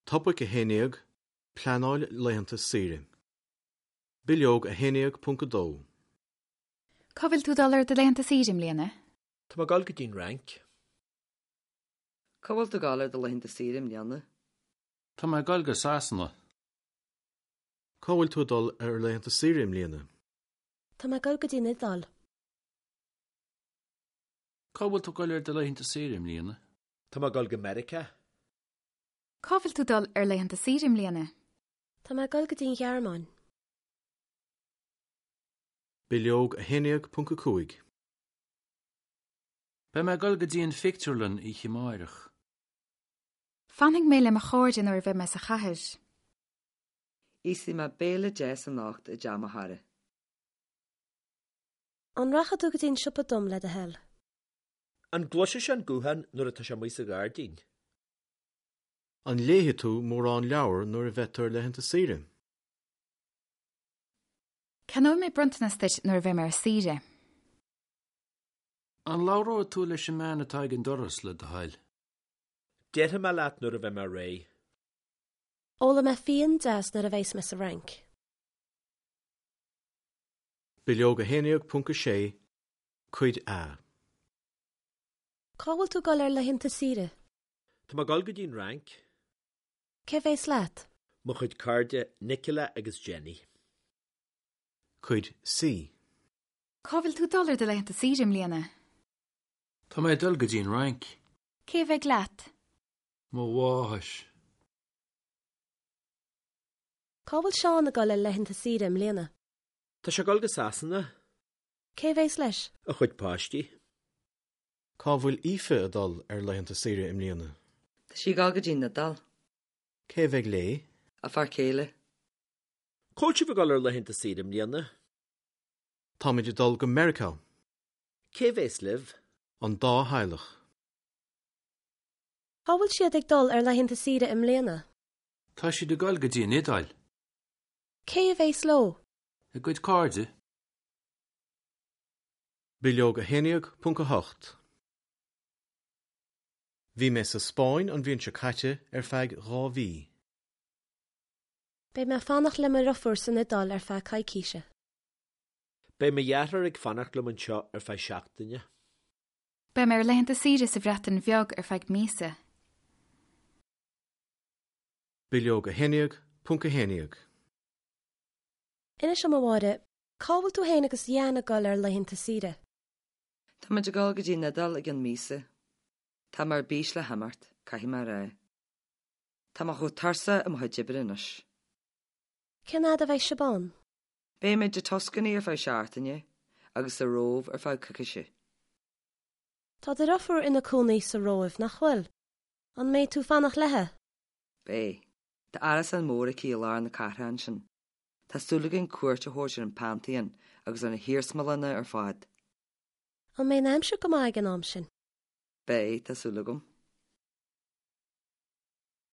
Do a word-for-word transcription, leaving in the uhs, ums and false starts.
Topaic a haon déag, Pleanáil laethanta saoire. Bileog a haon déag ponc a dó. Cá bhfuil tú ag dul ar do laethanta saoire i mbliana? Tá mé ag dul go dtí an Fhrainc. Cá bhfuil tú ag dul ar do laethanta saoire i mbliana? Tá mé ag dul go Sasana. Cá bhfuil tú ag dul ar laethanta saoire i mbliana? Tá mé ag dul go dtí an Iodáil. Cá bhfuil tú ag dul ar do laethanta saoire i mbliana? Tá mé ag dul go Meiriceá. Cá bhfuil tú ag dul ar laethanta saoire i mbliana? Tá mé ag dul go dtí an Ghearmáin. Bileog a haon déag ponc a cúig. Beidh mé ag dul go dtí an phictiúrlann oíche amárach. Fanfaidh mé le mo chairde nuair a bheidh mé sa chathair. Íosfaidh mé béile deas anocht i dteach mo chara. An rachaidh tú go dtí an siopa dom le do thoil? An gcloisfidh sé an guthán nuair atá sé amuigh sa ghairdín? An léifidh tú mórán leabhar nuair a bheidh tú ar laethanta saoire? Ceannóidh mé bronntanas duit nuair a bheidh mé ar saoire. An labhróidh tú leis an mbean atá ag an doras le do thoil? Déarfaidh mé leat nuair a bheidh mé réidh. Ólfaidh mé fíon deas nuair a bheas mé sa Fhrainc. Bileog a haon déag ponc a sé, Cuid A. Cá bhfuil tú ag dul ar laethanta saoire? Tá mé ag dul go dtí an Fhrainc. Cé bheas leat? Mo chuid cairde Nicola agus Jenny. Cuid C. Cá bhfuil tú ag dul ar do laethanta saoire i mbliana? Tá mé ag dul go dtí an Fhrainc. Cé a bheidh leat? Mo mháthair. Cá bhfuil Seán ag dul ar laethanta saoire i mbliana? Tá sé ag dul go Sasana. Cé bheas leis? A chuid páistí. Cá bhfuil Aoife ag dul ar laethanta saoire i mbliana? Tá sí ag dul go dtí an Iodáil. Cé bheidh léi? A fear céile. Cá bhfuil sibh ag dul ar laethanta saoire i mbliana? Táimid ag dul go Meiriceá. Cé bheas libh? An dá theaghlach. Cá bhfuil siad ag dul ar laethanta saoire i mbliana? Tá siad ag dul go dtí an Iodáil. Cé a bheas leo? A gcuid cairde. Bileog a haon déag ponc a hocht. Bhí mé sa Spáinn an bhliain seo caite ar feadh dhá mhí. Beidh mé ag fanacht le mo dheirfiúr san Iodáil ar feadh coicíse. Beidh mo dheartháir ag fanacht liom anseo ar feadh seachtaine. Beidh mé ar laethanta saoire sa Bhreatain Bheag ar feadh míosa. Bileog a haon déag ponc a haon déag. Inis dom a Mháire, cá bhfuil tú féin agus Jan ag dul ar laethanta saoire? Tá muid ag dul go dtí an Iodáil i gceann míosa. Tá mé ar bís le himeacht, caithfidh mé a rá. Tá mé chomh tuirseach i mo chuid oibre anois. Cén fhad a bheidh sibh ann? Beimid i Tuscany ar feadh seachtaine agus sa Róimh ar feadh coicíse. Tá do dheirfiúr ina cónaí sa Róimh nach bhfuil? An mbeidh tú ag fanacht léi? Beidh. Tá árasán mór aici i lár na cathrach ansin. Tá súil againn cuairt a thabhairt ar an Pantheon agus ar na hiarsmalanna ar fad. An mbeidh an aimsir go maith ag an am sin? Beidh, tá súil agam.